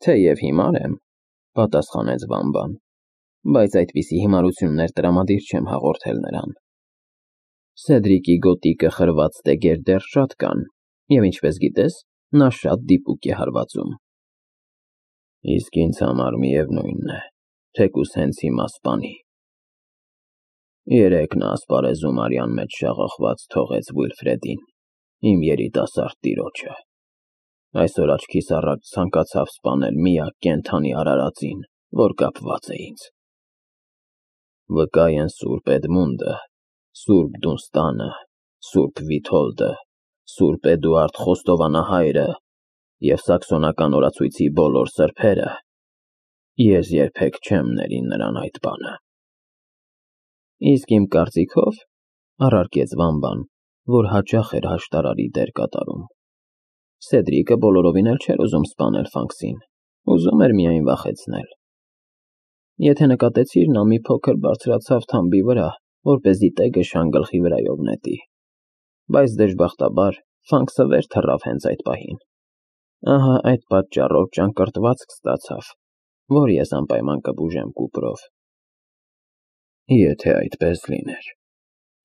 Թեև հիմար եմ, պատասխանեց Վամբան, բայց այդպիսի հիմարություններ տրամադիր չեմ հաղորդել նրան։ Սեդրիկի գոտիկը խրված տեգեր դեռ շատ կան, և ինչպես գիտես, նա շատ դիպուկ է հարվածում։ Իսկ ինձ համար միևնույն է, թեկուզ հենց հիմա սպանի։ Երեկ նա ասպարեզում արյան մեջ շաղախված թողեց Վիլֆրեդին, իմ երիտասարդ տիրոջը։ Այսօր աչքիս առաջ ցանկացավ սպանել միակ կենդանի արարածին, որ կապված է ինձ։ Վկա են Սուրբ Էդմունդը, Սուրբ Դունստանը, Սուրբ Վիթոլդը, Սուրբ Էդուարդ Խոստովանահայրը և սաքսոնական օրացույցի բոլոր սրբերը։ Ես երբեք չեմ ների նրան այդ բանը։ Իսկ իմ կարծիքով, առարկեց Վամբան, որ հաճախ էր հաշտարարի դեր կատարում, Սեդրիկը բոլորովին էլ չէր ուզում սպանել Ֆանքսին, ուզում էր միայն վախեցնել։ Եթե նկատեցիր, նա մի փոքր բարձրացավ թամբի վրա, որպեսզի տեգը շան գլխի վրայով նետի, բայց դժբախտաբար Ֆանքսը վեր թռավ հենց այդ պահին։ Ահա այդ պատճառով ճանկռտվածք ստացավ, որ ես անպայման կբուժեմ կուպրով։ Եթե այդպես լիներ,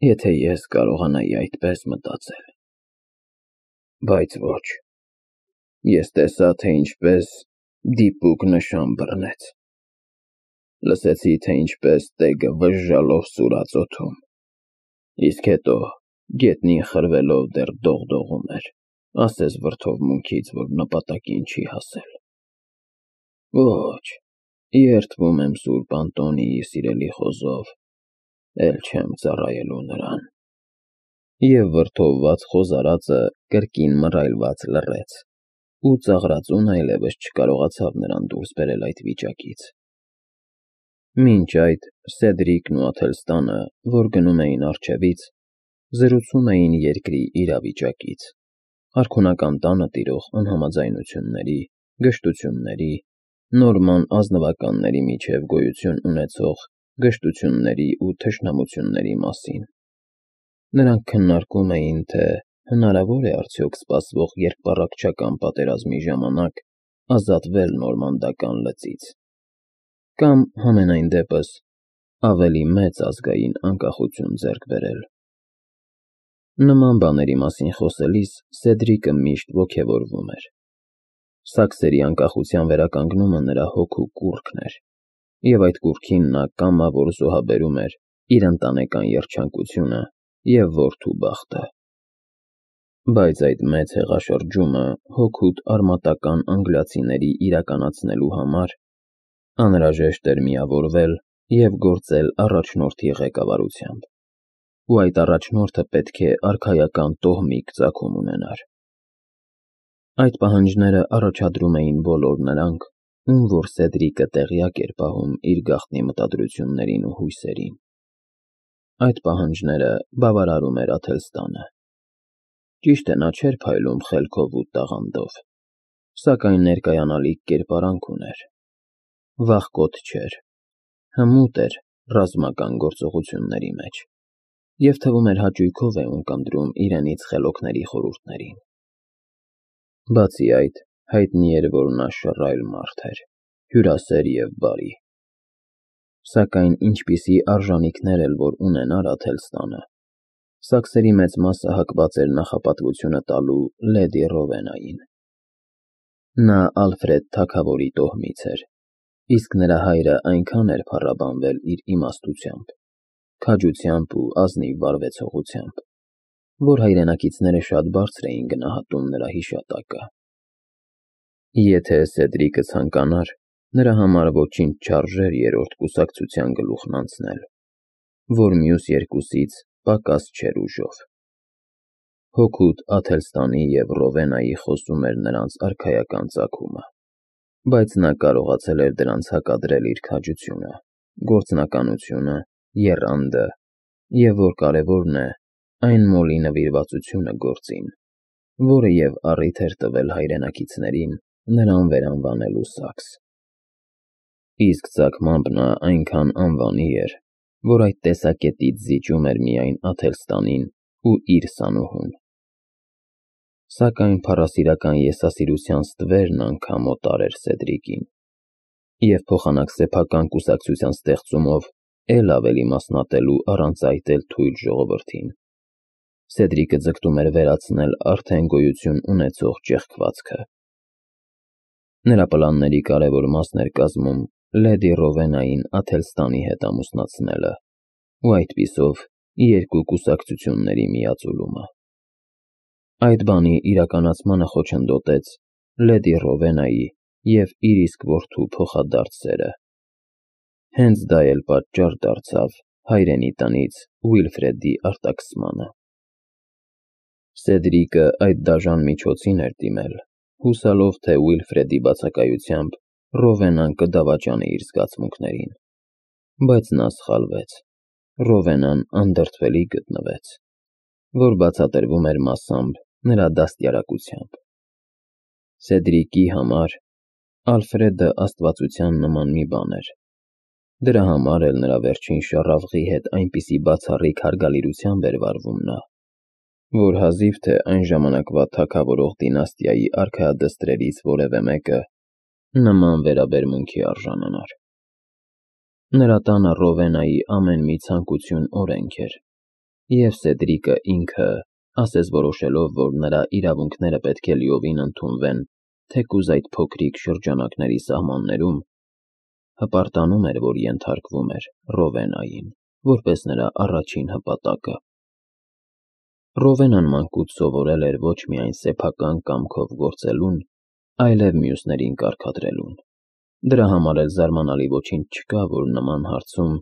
եթե ես կարողանայի այդպես մտածել, բայց ոչ, ես տեսա, թե ինչպես դիպուկ նշան բռնեց, լսեցի, թե ինչպես տեգը վժժալով սուրաց օդում, իսկ հետո գետնին խրվելով դեռ դողդողում էր, ասես վրդովմունքից, որ նպատակին չի հասել։ Ոչ, երդվում եմ Սուրբ Անտոնիի սիրելի խոզով, էլ չեմ ծառայելու նրան։ Եվ վրդովված խոզարածը կրկին մռայլված լռեց, ու ծաղրածուն այլևս չկարողացավ նրան դուրս բերել այդ վիճակից։ Մինչ այդ Սեդրիկն ու Աթելստանը, որ գնում էին առջևից, զրուցում էին երկրի իրավիճակից, արքունական տանը տիրող անհամաձայնությունների, գժտությունների, նորման ազնվականների միջև գոյություն ունեցող գժտությունների ու թշնամությունների մասին։ Նրանք քննարկում էին, թե հնարավոր է արդյոք սպասվող երկպառակտչական պատերազմի ժամանակ ազատվել նորմանդական լծից, կամ համենայն դեպս ավելի մեծ ազգային անկախություն ձեռք բերել։ Նման բաների մասին խոսելիս Սեդրիկը միշտ ոգևորվում էր։ Սաքսերի անկախության վերականգնումը նրա հոգու կուռքն էր, և այդ կուռքին նա կամավոր զոհաբերում էր իր ընտանեկան երջանկությունը և որդու բախտը։ Բայց այդ մեծ հեղաշրջումը հօգուտ արմատական անգլիացիների իրականացնելու համար անհրաժեշտ էր միավորվել և գործել առաջնորդի ղեկավարությամբ, ու այդ առաջնորդը պետք է արքայական տոհմիկ ծագում ունենար։ Այդ պահանջները առաջադրում էին բոլոր նրանք, ում որ Սեդրիկը տեղյակ էր պահում իր գաղտնի մտադրություններին ու հույսերին։ Այդ պահանջները բավարարում էր Աթելստանը։ Ճիշտ է, նա չէր փայլում խելքով ու տաղանդով, սակայն ներկայանալիք կերպարանք ուներ։ Վախկոտ չէր, հմուտ էր ռազմական գործողությունների մեջ, և թվում էր հաճույքով է ունկնդրում իրենից խելոքների խորհուրդներին։ Բացի այդ, հայտնի էր, որ նա շռայլ մարդ էր, հյուրասեր և բարի։ Սակայն ինչպիսի արժանիքներ էլ որ ունենար Աթելստանը, սաքսերի մեծ մասը հակված էր նախապատվությունը տալու լեդի Ռովենային։ Նա Ալֆրեդ թագավորի տոհմից էր, իսկ նրա հայրը այնքան էր փառաբանվել իր իմաստությամբ, քաջությամբ ու ազնիվ վարվեցողությամբ, որ հայրենակիցները շատ բարձր էին գնահատում նրա հիշատակը։ Եթե Սեդրիկը ցանկանար, նրա համար ոչինչ չարժեր երրորդ կուսակցության գլուխն անցնել, որ մյուս երկուսից պակաս չէր ուժով։ Հօգուտ Աթելստանի և Ռովենայի խոսում էր նրանց արքայական ծագումը, բայց նա կարողացել էր դրանց հակադրել իր քաջությունը, գործնականությունը, եռանդը և, որ կարևորն է, այն մոլի նվիրվածությունը գործին, որը և առիթ էր տվել հայրենակիցներին նրան վերանվանելու Սաքս։ Իսկ ծագմամբ նա այնքան անվանի էր, որ այդ տեսակետից զիջում էր միայն Աթելստանին ու իր սանուհուն։ Սակայն փառասիրական եսասիրության ստվերն անգամ օտար էր Սեդրիկին, և փոխանակ սեփական կուսակցության ստեղծումով էլ ավելի մասնատելու առանց այդ էլ թույլ ժողովրդին։ Սեդրիկը ձգտում էր վերացնել արդեն գոյություն ունեցող ճեղքվածքը։ Նրա պլանների կարևոր մասն էր կազմում լեդի Ռովենային Աթելստանի հետ ամուսնացնելը ու այդպիսով երկու կուսակցությունների միաձուլումը։ Այդ բանի իրականացմանը խոչընդոտեց լեդի Ռովենայի և իր իսկ որդու փոխադարձ սերը։ Հենց դա էլ պատճառ դարձավ հայրենի տնից Ուիլֆրեդի արտաքսմանը։ Սեդրիկը այդ դաժան միջոցին էր դիմել, հուսալով, թե Ուիլֆրեդի բացակայությամբ Ռովենան կդավաճանի իր զգացմունքներին, բայց նա սխալվեց։ Ռովենան անդրդվելի գտնվեց, որ բացատրվում էր մասամբ նրա դաստիարակությամբ։ Սեդրիկի համար Ալֆրեդը աստվածության նման մի բան էր։ Դրա համար էլ նրա վերջին շառավղի հետ այնպիսի բացառիկ հարգալիրությամբ էր վարվում նա, որ հազիվ թե այն ժամանակվա թագավորող դինաստիայի արքայադստրերից որևէ մեկը նման վերաբերմունքի արժանանար։ Նրա տանը Ռովենայի ամեն մի ցանկություն օրենք էր, և Սեդրիկը ինքը, ասես որոշելով, որ նրա իրավունքները պետք է լիովին ընդունվեն թեկուզ այդ փոքրիկ շրջանակների սահմաններում, հպարտանում էր, որ ենթարկվում էր Ռովենային, որպես նրա առաջին հպատակը։ Ռովենան մանկուց սովորել էր ոչ միայն սեփական կամքով գործելուն, այլև մյուսներին կարգադրելուն։ Դրա համար էլ զարմանալի ոչինչ չկա, որ նման հարցում,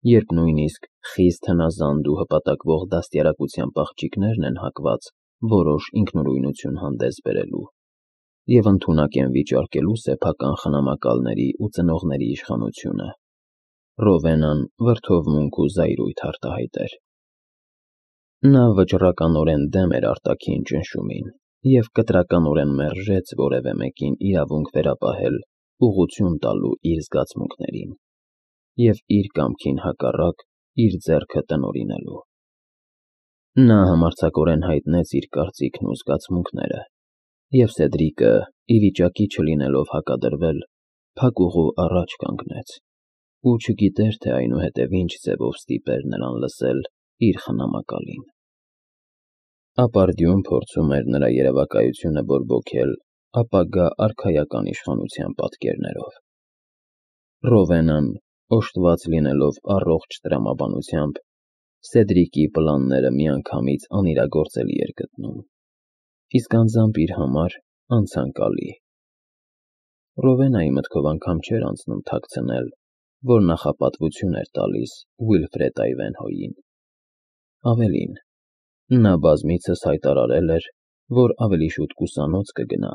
երբ նույնիսկ խիստ հնազանդ ու հպատակվող դաստիարակության աղջիկներն են հակված որոշ ինքնուրույնություն հանդես բերելու և ընդունակ են վիճարկելու սեփական խնամակալների ու ծնողների իշխանությունը, Ռովենան վրդովմունք ու զայրույթ արտահայտեր։ Նա վճռականորեն դեմ էր արտաքին ճնշումին և կտրականորեն մերժեց որևէ մեկին իրավունք վերապահել ուղղություն տալու իր զգացմունքներին և իր կամքին հակառակ իր ձեռքը տնօրինելու։ Նա համարձակորեն հայտնեց իր կարծիքն ու զգացմունքները, և Սեդրիկը, ի վիճակի չլինելով հակադրվել, փակուղու առաջ կանգնեց ու չգիտեր, թե այնուհետև ինչ ձևով ստիպեր նրան լսել իր խնամակալին։ Ապարդյուն փորձում էր նրա երևակայությունը բորբոքել ապագա արքայական իշխանության պատկերներով։ Ռովենան, օժտված լինելով առողջ տրամաբանությամբ, Սեդրիկի պլանները միանգամից անիրագործելի էր գտնում, իսկ անձամբ իր համար անցանկալի։ Ռովենայի մտքով անգամ չէր անցնում թաքցնել, որ նախապատվություն էր տալիս Ուիլֆրեդ Այվենհոյին։ Ավելին, նա բազմիցս հայտարարել էր, որ ավելի շուտ կուսանոց կգնա,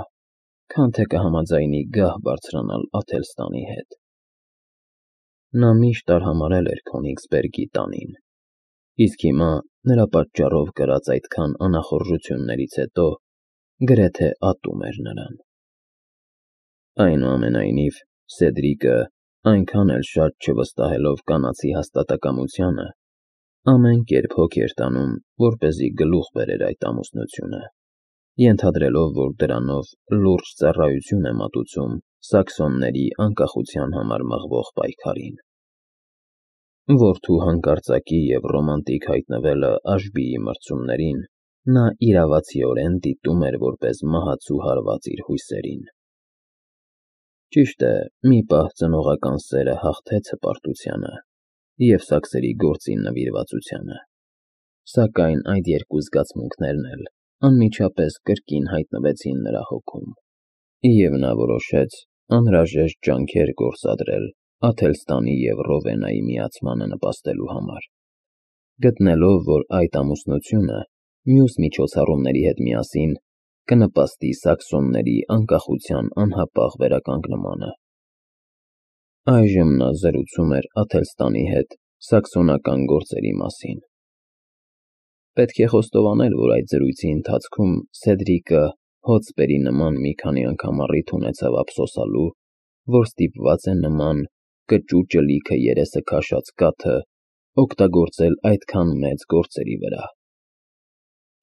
քան թե կհամաձայնի գահ բարձրանալ Աթելստանի հետ։ Նա միշտ արհամարհել էր Քոնիգսբերգի տանին, իսկ հիմա նրա պատճառով կրած այդքան անախորժություններից հետո գրեթե ատում էր նրան։ Այնուամենայնիվ, Սեդրիկը, այնքան էլ շատ չվստահելով կանացի հաստատակամությանը, ամեն կերպ հոգ էր տանում, որպեսզի գլուխ բերեր այդ ամուսնությունը, ենթադրելով, որ դրանով լուրջ ծառայություն է մատուցում սաքսոնների անկախության համար մղվող պայքարին։ Որդու հանկարծակի և ռոմանտիկ հայտնվելը Աշբիի մրցումներին նա իրավացիորեն դիտում էր որպես մահացու հարված իր հույսերին։ Ճիշտ է, մի պահ ծնողական սերը հաղթեց հպարտությանը և սաքսերի գործին նվիրվածությանը, սակայն այդ երկու զգացմունքներն էլ անմիջապես կրկին հայտնվեցին նրա հոգում, և նա որոշեց անհրաժեշտ ջանքեր գործադրել Աթելստանի և Ռովենայի միացմանը նպաստելու համար, գտնելով, որ այդ ամուսնությունը մյուս միջոցառումների հետ միասին կնպաստի սաքսոնների անկախության անհապաղ վերականգնմանը։ Այժմ նա զրուցում էր Աթելստանի հետ սաքսոնական գործերի մասին։ Պետք է խոստովանել, որ այդ զրույցի ընթացքում Սեդրիկը հոցպերի նման մի քանի անգամ առիթ ունեցավ ափսոսալու, որ ստիպված է նման կճուճը լիքը երեսը քաշած կաթը օգտագործել այդքան մեծ գործերի վրա։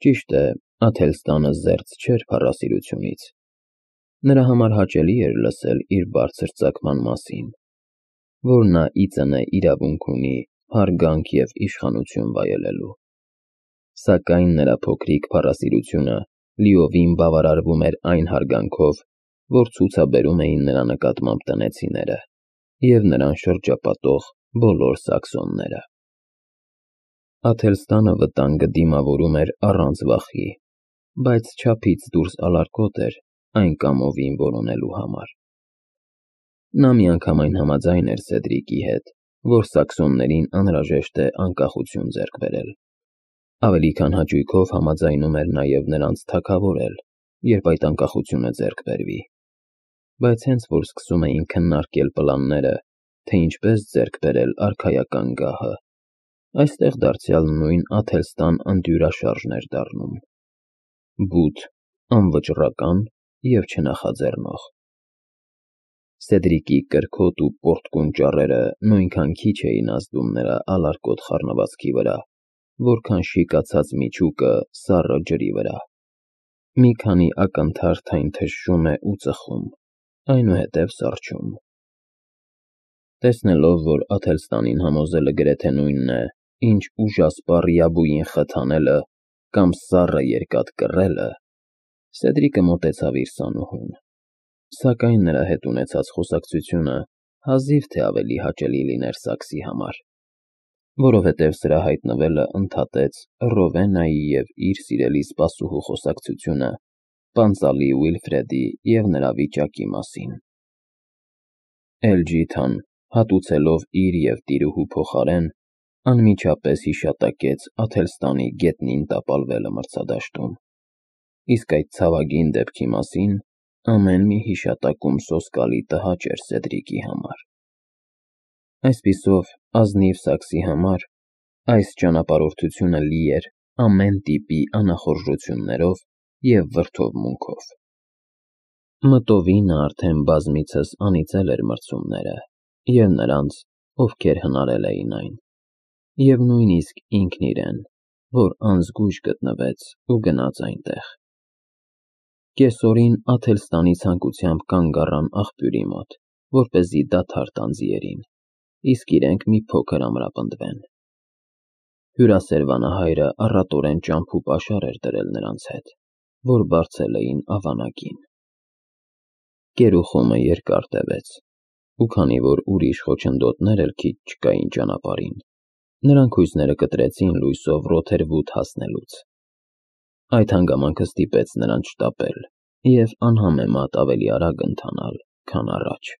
Ճիշտ է, Աթելստանը զերծ չէր փառասիրությունից։ Նրա համար հաճելի էր լսել իր բարձր ծագման մասին, որ նա ի ծնե իրավունք ունի հարգանք և իշխանություն վայելելու։ Սակայն նրա փոքրիկ փառասիրությունը լիովին բավարարվում էր այն հարգանքով, որ ցուցաբերում էին նրա նկատմամբ տնեցիները և նրան շրջապատող բոլոր սաքսոնները։ Աթելստանը վտանգը դիմավորում էր առանց վախի, բայց չափից դուրս ալարկոտ էր այն կամովին որոնելու համար։ Նա միանգամայն համաձայն էր Սեդրիկի հետ, որ սաքսոններին անհրաժեշտ է անկախություն ձեռք բերել։ Ավելի քան հաճույքով համաձայնում էր նաև նրանց թագավորել, երբ այդ անկախությունը ձեռք բերվի։ Բայց հենց որ սկսում էին քննարկել պլանները, թե ինչպես ձեռք բերել արքայական գահը, այստեղ դարձյալ նույն Աթելստան անդյուրաշարժն էր դառնում։ Բութ, անվճռական և չնախաձեռնող։ Սեդրիկի կրքոտ ու պոռթկուն ճառերը նույնքան քիչ էին ազդում նրա ալարկոտ խառնվածքի վրա, որքան շիկացած միջուկը սառը ջրի վրա։ Մի քանի ակնթարթ այն թշում է ու ծխում, այնուհետև սառչում։ Տեսնելով, որ Աթելստանին համոզելը գրեթե նույնն է, ինչ ուժասպառ Յաբուին խթանելը կամ սառը երկաթ կռելը, Սեդրիկը մոտեցավ իր սանուհուն։ Սակայն նրա հետ ունեցած խոսակցությունը հազիվ թե ավելի հաճելի լիներ Սաքսի համար, որովհետև սրա հայտնվելը ընդհատեց Ռովենայի և իր սիրելի սպասուհու խոսակցությունը պանծալի Ուիլֆրեդի և նրա վիճակի մասին։ Էլջիթան, հատուցելով իր և տիրուհու փոխարեն, անմիջապես հիշատակեց Աթելստանի գետնին տապալվելը մրցադաշտում, իսկ այդ ցավագին դեպքի մասին ամեն մի հիշատակում սոսկալի տհաճ էր Սեդրիկի համար։ Այսպիսով, ազնիվ Սաքսի համար այս ճանապարհորդությունը լի էր ամեն տիպի անախորժություններով և վրդովմունքով։ Մտովի նա արդեն բազմիցս անիծել էր մրցումները և նրանց, ովքեր հնարել էին այն, և նույնիսկ ինքն իրեն, որ անզգույշ գտնվեց ու գնաց այնտեղ։ Կեսօրին Աթելստանի ցանկությամբ կանգ առան աղբյուրի մոտ, որպեսզի դադար տան ձիերին, իսկ իրենք մի փոքր ամրապնդվեն։ Հյուրասեր վանահայրը առատորեն ճամփու պաշար էր դրել նրանց հետ, որ բարձել էին ավանակին։ Կերուխումը երկար տևեց, ու քանի որ ուրիշ խոչընդոտներ էլ քիչ չկային ճանապարհին, նրանք հույսները կտրեցին լույսով Ռոթերվուդ հասնելուց։ Այդ հանգամանքը ստիպեց նրանց շտապել և անհամեմատ ավելի արագ ընթանալ, քան առաջ։